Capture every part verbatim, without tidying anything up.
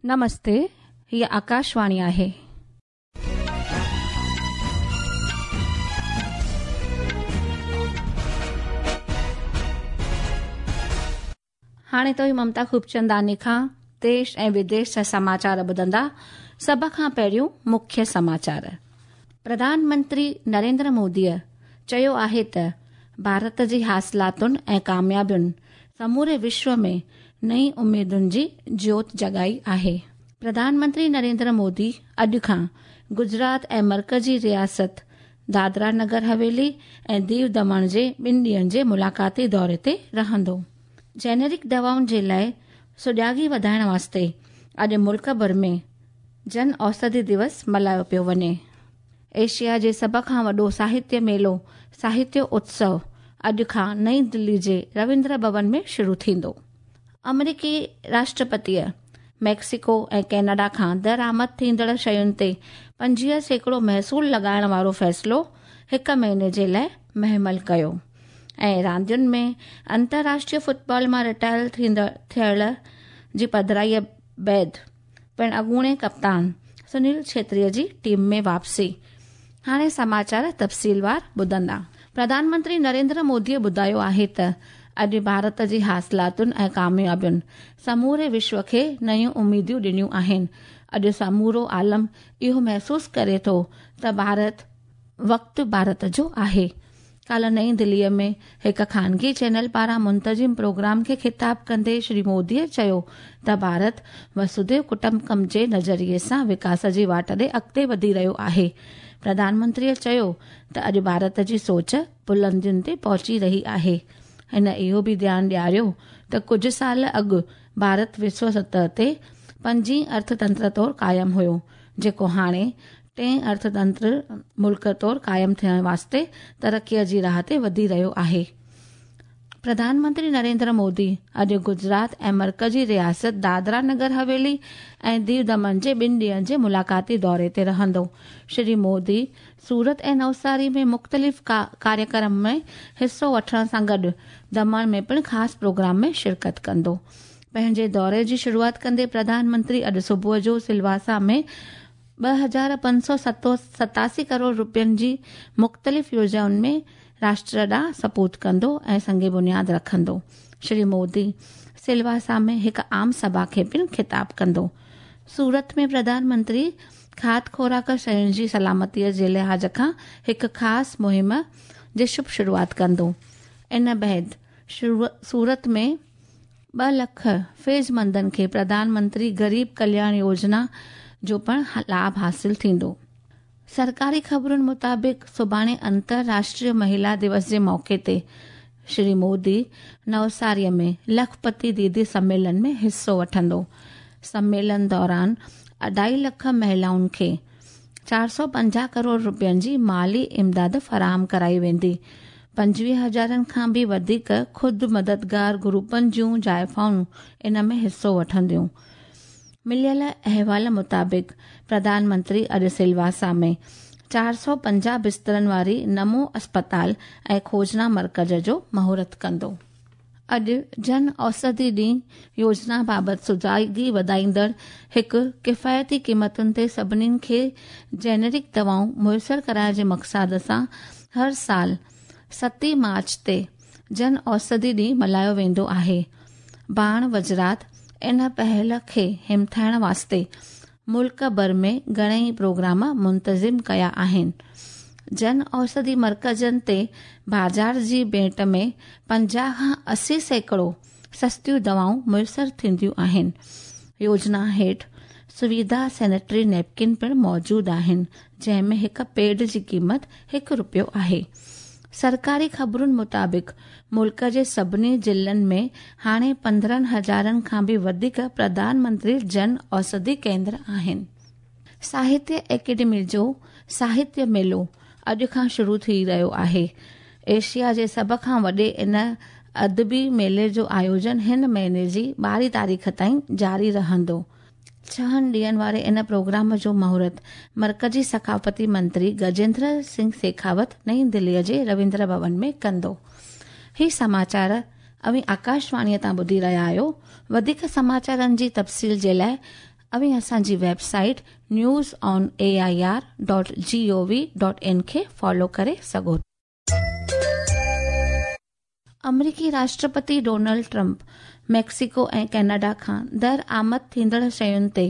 नमस्ते, हीअ आकाशवाणी आहे। हाणे तो ममता खूबचंदानी खां देश ऐं विदेश जा समाचार ॿुधंदा। सभ खां पहिरियों मुख्य समाचार। प्रधानमंत्री नरेंद्र मोदीअ चयो आहे त भारत जी हासिलातुनि ऐं कामयाबियुनि समूरे विश्व में नई उमेदुनि जी ज्योत जॻाई आहे। प्रधानमंत्री नरेंद्र मोदी अॼु खां गुजरात ऐं मर्कज़ी रियासत दादरा नगर हवेली ऐं दीव दमण जे ॿिनि ॾींहंनि जे मुलाक़ाती दौरे ते रहंदो। जेनेरिक दवाउनि जे लाइ सुॼागी वधाइण वास्ते अॼु मुल्क भर में जन औषधि दिवस मल्हायो पियो वञे। एशिया जे सभ खां वॾो साहित्य मेलो साहित्य उत्सव अॼु खां नई दिल्ली जे रविंद्र भवन में शुरू थींदो। अमेरिकी राष्ट्रपतीअ मैक्सिको ऐं कैनेडा खां दरामद थींदड़ शयुनि ते पंजवीह सैकड़ो महसूल लॻाइण वारो फ़ैसिलो हिकु महीने जे लाइ महमल कयो। ऐं रांदियुनि में अंतर्राष्ट्रीय फुटबॉल मां रिटायर थींदड़ थियण जी पधराईअ बाद पिणु अॻूणे कप्तान सुनील छेत्रीअ जी टीम में वापसी। हाणे समाचार तफ़सीलवार ॿुधंदा। प्रधानमंत्री नरेंद्र मोदीअ ॿुधायो आहे त अॼु भारत जी हासिलातुनि ऐं कामयाबियुनि समूरे विश्व खे नयूं उमेदूं ॾिनियूं आहिनि। अॼु समूरो आलम इहो महसूसु करे थो त भारत वक़्तु भारत जो आहे। काल्ह नई दिल्लीअ में हिकु ख़ानगी चैनल पारां मुंतज़िम प्रोग्राम खे ख़िताब कंदे श्री मोदीअ चयो त भारत वसुधैव कुटुंबकम जे नज़रिए सां विकास जी वाट ॾे अॻिते वधी रहियो आहे। प्रधानमंत्रीअ चयो त अॼु भारत जी सोच बुलंदियुनि ते पहुची रही आहे। हिन इहो बि ध्यानु ॾियारियो त कुझु साल अॻु भारत विश्व सतह ते पंजीं अर्थतंत्र तौरु क़ाइमु हुयो, जेको हाणे टें अर्थतंत्र मुल्क तौरु क़ाइमु थियण वास्ते तरक़ीअ जी राह ते वधी रहियो आहे। प्रधानमंत्री नरेंद्र मोदी अॼु गुजरात ऐं मर्कज़ी रियासत दादरा नगर हवेली ऐं दीव दमन जे ॿिनि ॾींहंनि जे मुलाक़ाती दौरे ते रहंदो। श्री मोदी सूरत ऐं नवसारी में मुख़्तलिफ़ कार्यक्रम में हिसो वठण सां गॾु दमण में पिणु ख़ासि प्रोग्राम में शिरकत कंदो। पंहिंजे दौरे जी शुरूआत कंदे प्रधानमंत्री अॼु सुबुह जो सिलवासा में ॿ हज़ार पंज सौ सतासी करोड़ रुपयनि जी मुख़्तलिफ़ योजनाउनि में राष्ट्र ॾांहुं सपूत कंदो ऐं संग बुनियाद रखंदो। श्री मोदी सिलवासा में हिकु आम सभा खे पिणु ख़िताब कंदो। सूरत में प्रधानमंत्री खाद खुराक शयुनि जी सलामतीअ जे लिहाज़ खां हिकु ख़ासि मुहिम जी शुभ शुरूआत कंदो। इन बाद सूरत में ॿ लख फ़ैज़मंदनि खे प्रधानमंत्री ग़रीब कल्याण योजना जो पिणु लाभ हासिल थींदो। सरकारी ख़बरुनि मुताबिक़ सुभाणे अंतर्राष्ट्रीय महिला दिवस जे मौक़े ते श्री मोदी नवसारीअ में लखपति दीदी सम्मेलन में हिसो वठंदो। सम्मेलन दौरान अढाई लख महिलाउनि खे चारि सौ पंजाह करोड़ रुपयनि जी माली इमदाद फराहम कराई वेंदी। पंजवीह हज़ारनि खां बि वधीक ख़ुदि मददगार ग्रुपनि जूं ज़ाइफ़ाऊं इन में हिसो वठंदियूं। मिलियल अहवाल मुताबिक़ प्रधानमंत्री अॼु सिलवासा में चारि सौ पंजाह बिस्तरनि वारी नमो अस्पताल ऐं खोजना मर्कज़ जो मुहूर्त कंदो। अॼु जन औषधि ॾींहुं योजना बाबति सुॼागी वधाईंदड़ हिकु किफ़ायती क़ीमतुनि ते सभिनीनि खे जेनेरिक दवाऊं मुयसर कराइण जे मक़सद सां हर साल सतहीं मार्च ते जन औषधि ॾींहुं मल्हायो वेंदो आहे। बाण वज़रात इन पहल खे हिमथाइण वास्ते मुल्क भर में घणेई प्रोग्राम मुंतज़िम कया आहिनि। जन औषधि मर्कज़नि ते बाज़ार जी भेंट में पंजाह खां असी सैकड़ो सस्तियूं दवाऊं मुयसर थींदियूं आहिनि। योजना हेठि सुविधा सैनिटरी नैपकिन पिणु मौजूदु आहिनि, जंहिं में हिकु पेड जी क़ीमत हिकु रुपयो आहे। सरकारी ख़बरुनि मुताबिक़ मुल्क जे सभिनी ज़िलनि में हाणे पंद्रहं हज़ारनि खां बि वधीक प्रधानमंत्री जन औषधि केंद्र आहिनि। साहित्य एकेडमी जो साहित्य मेलो अॼु खां शुरू थी रहियो आहे। एशिया जे सभ खां वॾे इन अदबी मेले जो आयोजन हिन महीने जी ॿारहीं तारीख़ ताईं जारी रहंदो। छहनि ॾींहंनि वारे इन प्रोग्राम जो मुहूर्त मर्कज़ी सक़ाफ़ती मंत्री गजेंद्र सिंह शेखावत नई दिल्लीअ जे रविंद्र भवन में कंदो। ही समाचार अव्हीं आकाशवाणीअ तां ॿुधी रहिया आहियो। वधीक समाचारनि जी तफ़सील जे लाइ अव्हीं असांजी website news on A I R dot G O V dot in खे फॉलो करे सघो। अमरीकी राष्ट्रपति डोनाल्ड ट्रंप मेक्सिको ऐं कनाडा खां दरआमद थींदड़ शयुनि ते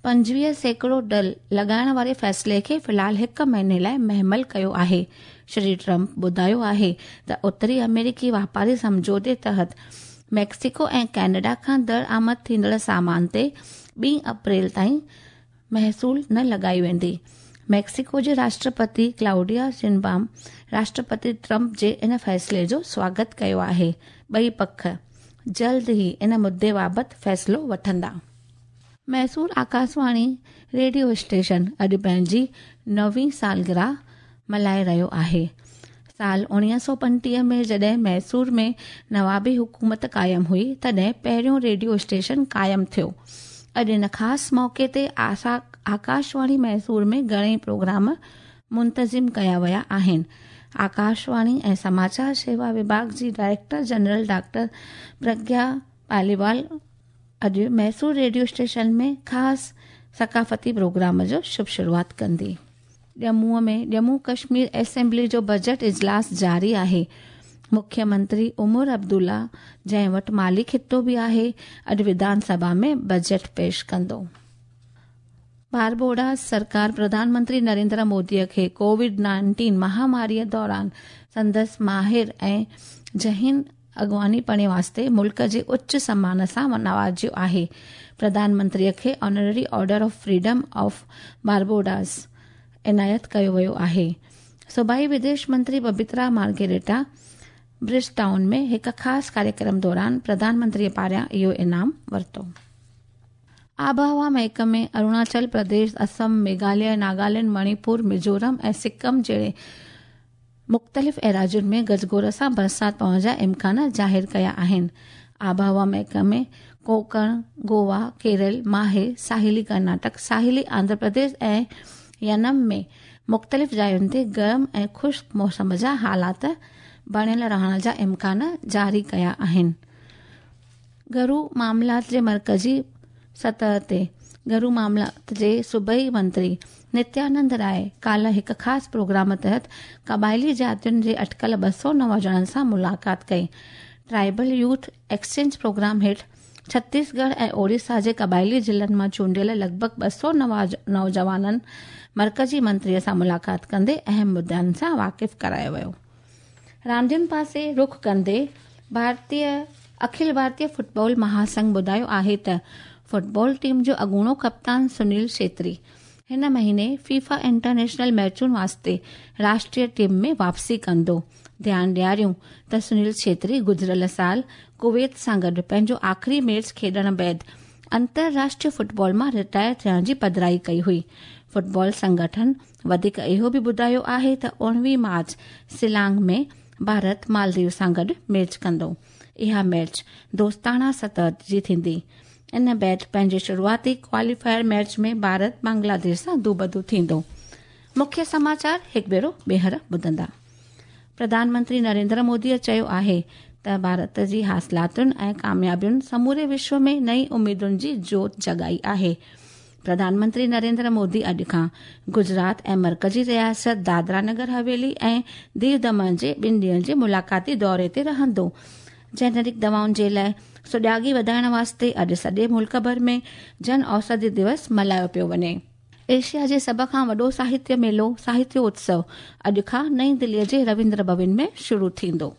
पंजवीह सैकड़ो डल लॻाइण वारे फ़ैसिले खे फ़िलहाल हिकु महीने लाइ महमल कयो आहे। श्री ट्रंप ॿुधायो आहे त उत्तरी अमेरिकी वापारी सम्झौते तहत मेक्सिको ऐं कनाडा खां दरआमद थींदड़ सामान ते ॿी अप्रैल ताईं महसूल न लॻाई वेंदी। मेक्सिको जे राष्ट्रपति क्लाउडिया शिनबाम राष्ट्रपति ट्रंप जे इन फ़ैसिले जो स्वागत कयो आहे। ॿई पख जल्द ई इन मुद्दे बाबति फ़ैसिलो वठंदा। मैसूर आकाशवाणी रेडियो स्टेशन अॼु पंहिंजी नवीं सालगिरह मल्हाए रहियो आहे। साल उणिवीह सौ पंटीह में जॾहिं मैसूर में नवाबी हुकूमत क़ाइमु हुई तॾहिं पहिरियों रेडियो स्टेशन क़ाइमु थियो। अॼु इन ख़ासि मौक़े ते आसा आकाशवाणी मैसूर में घणेई प्रोग्राम मुंतज़िम कया विया आहिनि। आकाशवाणी ऐं समाचार सेवा विभाग जी director general doctor Pragya Paliwal अॼु मैसूर रेडियो स्टेशन में ख़ासि सकाफ़ती प्रोग्राम जो शुभ शुरूआत कंदी। जम्मूअ में जम्मू कश्मीर असेंबली जो बजट इजलास जारी आहे। मुख्यमंत्री उमर अब्दुल्ला जंहिं वटि माली ख़ितो बि आहे अॼु विधानसभा में बजट पेश कंदो। बारबोडास सरकार प्रधानमंत्री नरेंद्र मोदीअ खे कोविड नाइन्टीन महामारीअ दौरान संदसि माहिर ऐं ज़हीन अॻवानीपणे वास्ते मुल्क जे उच्च सम्मान सां नवाज़ियो आहे। प्रधानमंत्रीअ खे honorary order of freedom of Barbados इनायत कयो वियो आहे। सूबाई विदेश मंत्री पबित्रा मार्गेरेटा ब्रिज टाउन में हिकु ख़ासि कार्यक्रम दौरान प्रधानमंत्रीअ पारां इहो इनाम वरितो। आबहवा महकमे अरुणाचल प्रदेश, असम, मेघालय, नागालैंड, मणिपुर, मिज़ोरम ऐं सिक्किम जहिड़े मुख़्तलिफ़ एराज़ुनि में गजगोर सां बरसाति पवण जा इम्कान ज़ाहिर कया आहिनि। आबहवा महकमे कोंकण, गोवा, केरल, माहे, साहिली कर्नाटक, साहिली आंध्र प्रदेश ऐं यनम में मुख़्तलिफ़ जायुनि ते गरम ऐं ख़ुश्क मौसम जा हालात बणियल रहण जा इम्कान जारी कया आहिनि। घरू मामलात जे मर्कज़ी सतह ते घरू मामलात जे सूबाई मंत्री नित्यानंद राय काल्ह हिकु ख़ासि प्रोग्राम तहत क़बाइली जातियुनि जे अटकल ॿ सौ नौजवाननि सां मुलाक़ात कई। ट्राइबल यूथ एक्सचेंज प्रोग्राम हेठि छत्तीसगढ़ ऐं ओडिशा जे क़बाइली ज़िलनि मां चूंडियल लॻभॻ ॿ सौ नौजवाननि मर्कज़ी मंत्रीअ सां मुलाक़ात कंदे अहम मुद्दनि सां वाक़िफ़ करायो वियो। रांदियुनि पासे रुख कंदे भारतीय अखिल भारतीय फुटबॉल महासंघ ॿुधायो आहे त फुटबॉल टीम जो अॻूणो कप्तान सुनील छेत्री हिन महीने फीफा इंटरनेशनल मैचुनि वास्ते राष्ट्रीय टीम में वापसी कंदो। ध्यानु ॾियारियूं त सुनील छेत्री गुज़िरियल साल कुवैत सां गॾु पंहिंजो आख़िरी मैच खेॾण बाद अंतरराष्ट्रीय फुटबॉल मां रिटायर थियण जी पधराई कई हुई। फुटबॉल संगठन वधीक इहो बि ॿुधायो आहे त उणिवीह मार्च शिलांग में भारत मालदीव सां गॾु मैच कंदो। इहा मैच दोस्ताना सतह जी थींदी। इन बाद पंहिंजे शुरूआती क्वालीफायर मैच में भारत बांग्लादेश सां दूबदू थींदो। मुख्य समाचार हिकु भेरो ॿीहर ॿुधंदा। प्रधानमंत्री नरेंद्र मोदीअ चयो आहे त भारत जी हासिलातुनि ऐं कामयाबियुनि समूरे विश्व में नई उम्मीदुनि जी जोत जॻाई आहे। प्रधानमंत्री नरेंद्र मोदी अॼु खां गुजरात ऐं मर्कज़ी रियासत दादरा नगर हवेली ऐं दीव दमन जे ॿिनि ॾींहंनि जे मुलाक़ाती दौरे ते रहंदो। जेनेरिक दवाउनि जे लाइ सुॼागी वधाइण वास्ते अॼु सॼे मुल्क भर में जन औषधि दिवस मल्हायो पियो वञे। एशिया जे सभ खां वॾो साहित्य मेलो साहित्य उत्सव अॼु खां नई दिल्लीअ जे रविंद्र भवन में शुरू थींदो।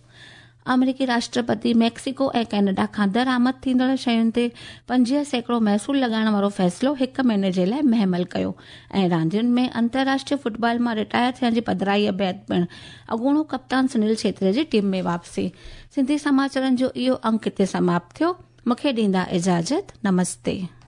अमेरिकी राष्ट्रपति मेक्सिको ऐं कनाडा खां दरआमद थींदड़ शयुनि ते पंजवीह सैकड़ो महसूल लॻाइण वारो फ़ैसिलो हिकु महीने जे लाइ महमल कयो ऐं रांदियुनि में अंतरराष्ट्रीय फुटबॉल मां रिटायर थियण जी पधराईअ बाद पिणु अॻूणो कप्तान सुनील छेत्री जी टीम में वापसी। सिंधी समाचारनि जो इहो अंक हिते समाप्त थियो। मूंखे ॾींदा इजाज़त। नमस्ते।